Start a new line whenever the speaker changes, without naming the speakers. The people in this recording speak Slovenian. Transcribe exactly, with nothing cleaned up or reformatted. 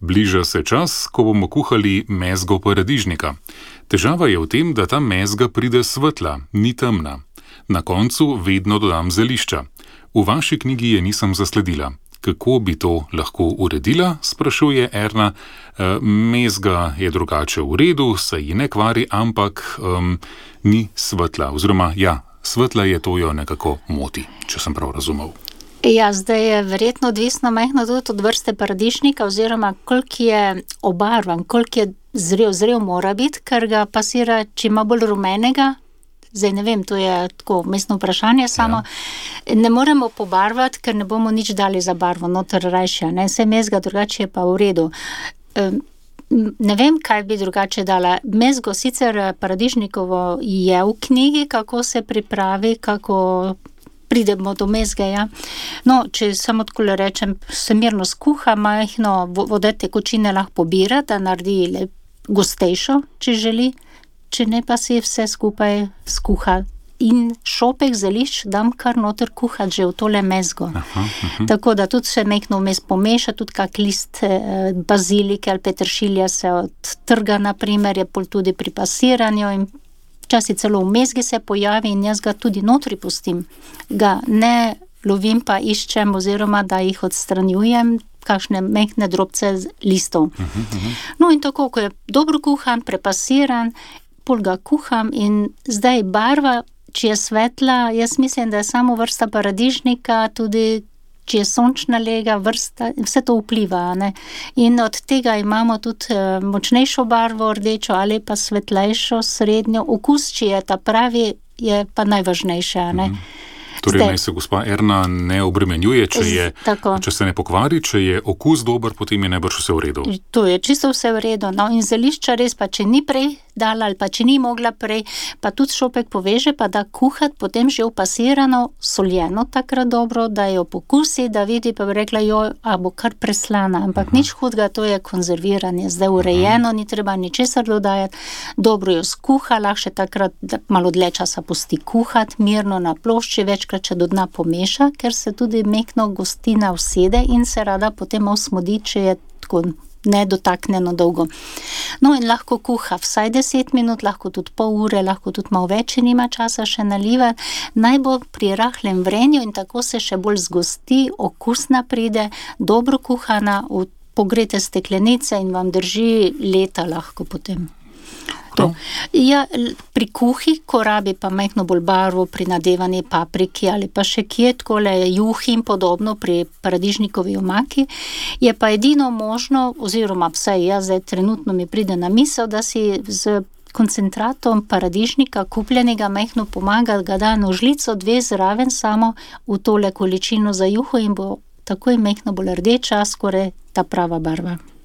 Bliža se čas, ko bomo kuhali mezgo paradižnika. Težava je v tem, da ta mezga pride svetla, ni temna. Na koncu vedno dodam zelišča. V vaši knjigi je nisem zasledila. Kako bi to lahko uredila, sprašuje Erna. E, mezga je drugače v redu, se ji ne kvari, ampak um, ni svetla. Oziroma, ja, svetla je, to jo nekako moti, če sem prav razumel.
Ja, zdaj je verjetno odvisno majhno tudi od vrste paradižnika, oziroma koliko je obarvan, koliko je zrel, zrel mora biti, ker ga pasira, če ima bolj rumenega. Zdaj ne vem, to je tako vmesno vprašanje, samo ja. Ne moremo pobarvati, ker ne bomo nič dali za barvo, noter rajša, ne, vse mezga drugače je pa v redu. Ne vem, kaj bi drugače dala. Mezgo sicer paradižnikovo je v knjigi, kako se pripravi, kako pridemo do mezge, ja. No, če samo tako rečem, se mirno skuha, majhno vode tekočine lahko pobira, da naredi le gostejšo, če želi. Če ne, pa si vse skupaj skuha. In šopek zelišč dam kar noter kuhati že v tole mezgo. Aha, aha. Tako da tudi se mekno vmes pomeša, tudi kak list eh, bazilike ali peteršilja se odtrga, naprimer, je pol tudi pri pasiranju in včasih celo v mezgi se pojavi in jaz ga tudi notri pustim. Ga ne lovim pa iščem oziroma da jih odstranjujem, kakšne mehne drobce listov. Aha, aha. No in tako, ko je dobro kuhan, prepasiran, pol ga kuham in zdaj barva, če je svetla, jaz mislim, da je samo vrsta paradižnika, tudi če je sončna lega, vrsta, vse to vpliva, ne. In od tega imamo tudi močnejšo barvo, rdečo ali pa svetlejšo, srednjo. Okus, če je ta pravi, je pa najvažnejše, ne. Mhm.
Torej, naj se gospa Erna ne obremenjuje, če, je, če se ne pokvari, če je okus dober, potem je najbrž vse v redu.
To je čisto vse v redu. No, in zelišča res pa, če ni prej dala ali pa če ni mogla prej, pa tudi šopek poveže, pa da kuhati potem že upasirano, soljeno takrat dobro, da jo pokusi, da vidi, pa bi rekla, jo, a bo kar preslana, ampak uh-huh. nič hudega, to je konzerviranje, zdaj urejeno, uh-huh. ni treba ničesar dodajati, dobro jo skuha, lahko še takrat malo dlje časa pusti kuhati, mirno na plošči, večkrat če do dna pomeša, ker se tudi mekno gostina usede in se rada potem osmodi, če je tako nedotaknjeno dolgo. No in lahko kuha vsaj deset minut, lahko tudi pol ure, lahko tudi malo več, če nima časa še nalivati. Naj bo pri rahlem vrenju in tako se še bolj zgosti, okusna pride, dobro kuhana, v pogrete steklenice in vam drži leta lahko potem. To. Ja, pri kuhi, ko rabi pa majhno bolj barvo pri nadevani papriki ali pa še kje, takole juhi in podobno pri paradižnikovi omaki, je pa edino možno, oziroma vsaj jaz zdaj trenutno mi pride na misel, da si z koncentratom paradižnika kupljenega majhno pomaga, ga da na žlico dve zraven samo v tole količino za juho in bo takoj majhno bolj rdeča, skoraj ta prava barva.